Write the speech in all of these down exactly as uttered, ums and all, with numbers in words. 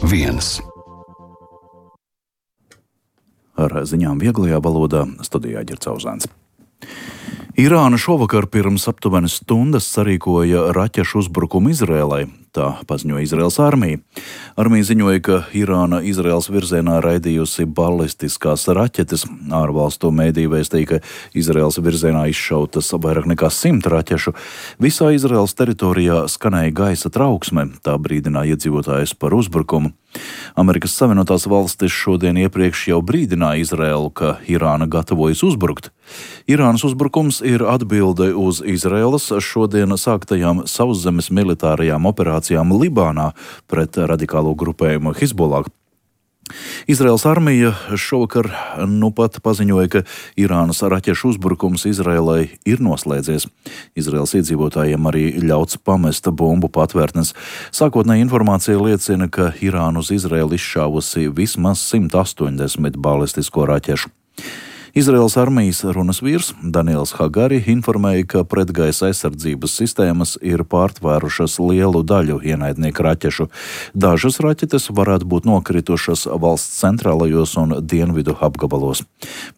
viens. Ar ziņām vieglajā valodā studijā Ģercauzāns. Irāna šovakar pirms aptuveni stundas sarīkoja raķešu uzbrukumu Izrēlai, tā paziņoja Izraēlas armija. Armija ziņoja, ka Irāna Izraēlas virzienā raidījusi balistiskās raķetes. Ārvalstu mēdīji vēstīja, ka Izraēlas virzienā izšautas vairāk nekā simt raķešu. Visā Izraēlas teritorijā skanēja gaisa trauksme, tā brīdināja iedzīvotājus par uzbrukumu. Amerikas Savienotās valstis šodien iepriekš jau brīdināja Izraēlu, ka Irāna gatavojas uzbrukt. Irānas uzbrukums ir atbilde uz Izraēlas šodien sāktajām sauszemes militārajām operācijām Libānā pret radikālo grupējumu Hizbollah. Izraēlas armija šovakar nu pat paziņoja, ka Irānas raķešu uzbrukums Izraēlai ir noslēdzies. Izraēlas iedzīvotājiem arī ļauts pamest bumbu patvērtnes. Sākotnēji informācija liecina, ka Irāna uz Izraēlu izšāvusi vismaz simt astoņdesmit balistisko raķešu. Izraēlas armijas runas vīrs Daniels Hagari informēja, ka pretgaisa aizsardzības sistēmas ir pārtvērušas lielu daļu ienaidnieku raķešu. Dažas raķetes varētu būt nokritušas valsts centrālajos un dienvidu apgabalos.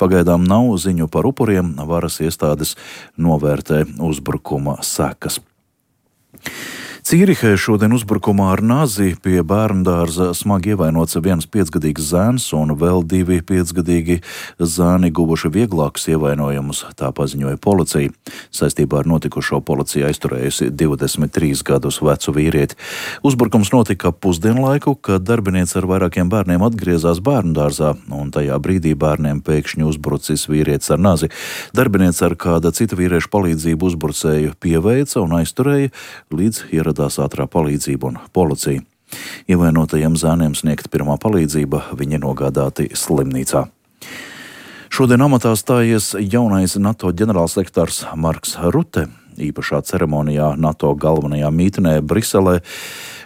Pagaidām nav ziņu par upuriem, varas iestādes novērtē uzbrukuma sekas. Cīrihē šodien uzbrukumā ar nazi pie bērndārza smagi ievainots viens piecgadīgs zēns un vēl divi piecgadīgi zēni guvuši vieglākus ievainojumus, tā paziņoja policija. Saistībā ar notikušo policija aizturējusi divdesmit trīs gadus vecu vīrieti. Uzbrukums notika pusdienlaiku, kad darbiniece ar vairākiem bērniem atgriezās bērndārzā, un tajā brīdī bērniem pēkšņi uzbrucis vīrietis ar nazi. Darbiniece ar kāda cita vīrieša palīdzību uzbrucēju pieveica un aizturēja, līdz ieradās ātrā palīdzība un policija. Ievainotajiem zēniem sniegta pirmā palīdzība, viņi nogādāti slimnīcā. Šodien amatā stājies jaunais NATO ģenerālsekretārs Marks Rute. Īpašā ceremonijā NATO galvenajā mītnē Briselē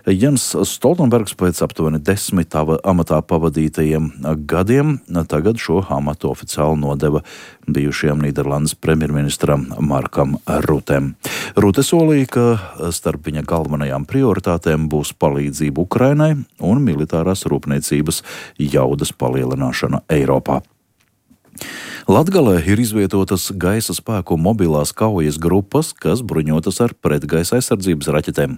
Jens Stoltenbergs pēc aptuveni desmit amatā pavadītajiem gadiem tagad šo amatu oficiāli nodeva bijušajam Nīderlandes premjerministram Markam Rutem. Rute solīja, ka starp viņa galvenajām prioritātēm būs palīdzība Ukrainai un militārās rūpniecības jaudas palielināšana Eiropā. Latgalē ir izvietotas gaisa spēku mobilās kaujas grupas, kas bruņotas ar pretgaisa aizsardzības raķetēm.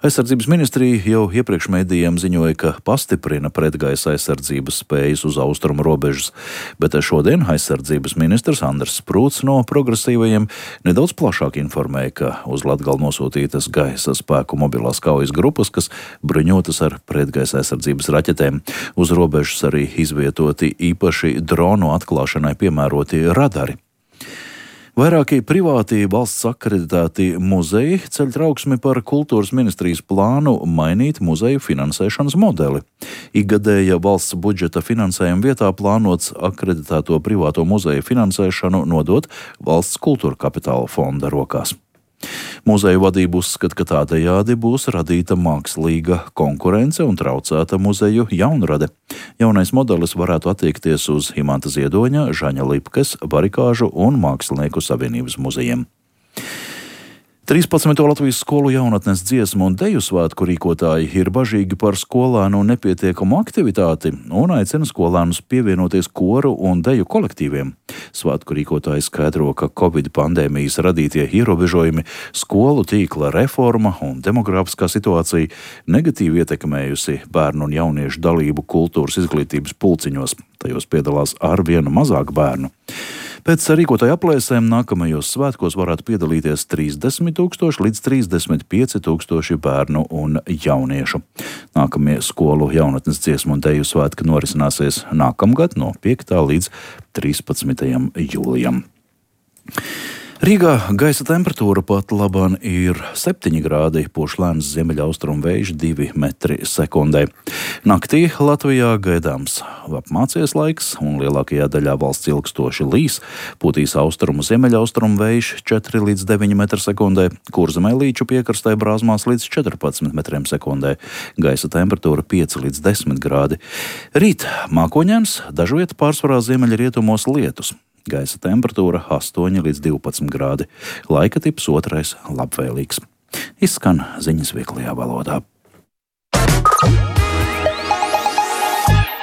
Aizsardzības ministrija jau iepriekš mēdījiem ziņoja, ka pastiprina pretgaisa aizsardzības spējas uz austrumu robežas, bet šodien aizsardzības ministrs Andris Sprūts no progresīvajiem nedaudz plašāk informēja, ka uz Latgali nosūtītas gaisa spēku mobilās kaujas grupas, kas bruņotas ar pretgaisa aizsardzības raķetēm. Uz robežas arī izvietoti īpaši dronu atklāšanai piemēroti radari. Vairāki privāti valsts akreditēti muzeji ceļ trauksmi par kultūras ministrijas plānu mainīt muzeju finansēšanas modeli. Ikgadēja valsts budžeta finansējuma vietā plānots akreditēto privāto muzeju finansēšanu nodot valsts kultūra kapitāla fonda rokās. Muzeju vadība uzskata, ka tādējādi būs radīta mākslīga konkurence un traucēta muzeju jaunrade. Jaunais modelis varētu attiekties uz Imanta Ziedoņa, Žaņa Lipkes, Barikāžu un Mākslinieku savienības muzejiem. trīspadsmito Latvijas skolu jaunatnes dziesmu un deju svētku rīkotāji ir bažīgi par skolēnu nepietiekamu aktivitāti un aicina skolēnus pievienoties koru un deju kolektīviem. Svētku rīkotāji skaidro, ka Covid pandēmijas radītie ierobežojumi, skolu tīkla reforma un demogrāfiskā situācija negatīvi ietekmējusi bērnu un jauniešu dalību kultūras izglītības pulciņos. Tajos piedalās ar vienu mazāk bērnu. Pēc rīkotāju aplēsēm nākamajos svētkos varētu piedalīties trīsdesmit tūkstoši līdz trīsdesmit pieci tūkstoši bērnu un jauniešu. Nākamie skolu jaunatnes dziesmu un deju svētki norisināsies nākamgad no piektā līdz trīspadsmitajam jūlijam. Rīgā gaisa temperatūra pat labāk ir septiņi grādi, pūš lēns ziemeļaustrumu vējš divi metri sekundē. Naktī Latvijā gaidāms apmācies laiks un lielākajā daļā valsts ilgstoši līs, pūtīs austrumu ziemeļaustrumu vējš četri līdz deviņi metri sekundē, Kurzemē līču piekrastē brāzmās līdz četrpadsmit metriem sekundē. Gaisa temperatūra pieci līdz desmit grādi. Rīt mākoņains, dažviet pārsvarā ziemeļrietumos lietus. Gaisa temperatūra astoņi līdz divpadsmit grādi. Laika tips otrais labvēlīgs. Izskan ziņas vieglajā valodā.